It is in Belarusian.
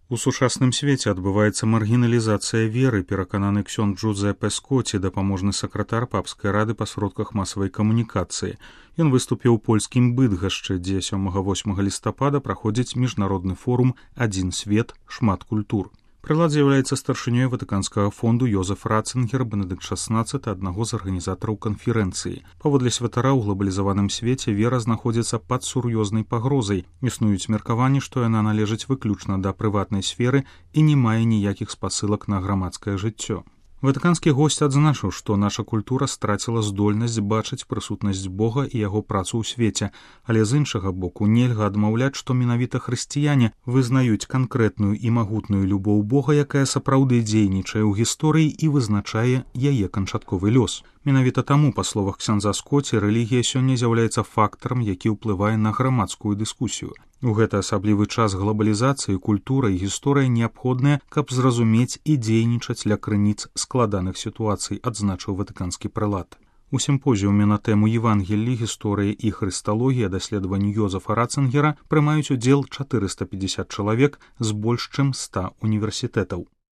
У сучасным свеце адбываецца маргіналізацыя веры, перакананы ксёндз Джузеппе Скотці, дапаможны сакратар папскай рады па сродках масавай камунікацыі. Ён выступіў у польскім Быдгашчы, дзе 7-8 лістапада праходзіць міжнародны форум «Адзін свет, шмат культур». Прылад з'яўляецца старшынёй Ватыканскага фонду Йозеф Ратцынгер, Бенедыкт XVI, аднаго з арганізатараў канферэнцыі. Паводле святара ў глобалізаваным свеце вера знаходзіцца пад сур'ёзнай пагрозай. Існуюць меркаванні, што яна належыць выключна да прыватнай сферы і не мае ніякіх спасылак на грамадскае жыццё. Ватыканскі госць адзначыў, што наша культура страціла здольнасць бачыць прысутнасць Бога і яго працу ў свеце, але з іншага боку нельга адмаўляць, што менавіта хрысціяне вызнаюць канкрэтную і магутную любоў Бога, якая сапраўды дзейнічае ў гісторыі і вызначае яе канчатковы лёс. Менавіта таму, па словах ксяндза Скотці, рэлігія сёння з'яўляецца фактарам, які ўплывае на грамадскую дыскусію. У гэты асаблівы час глобалізацыі культура і гісторыя неабходныя, каб зразумець і дзейнічаць ля крыніц складаных сітуацый, адзначыў ватыканскі прэлат. У сімпозіуме на тэму Евангеллі, гісторыя і хрысталогія даследаванню Йозефа Ратцынгера прымаюць удзел 450 чалавек з больш чым 100 універсітэтаў.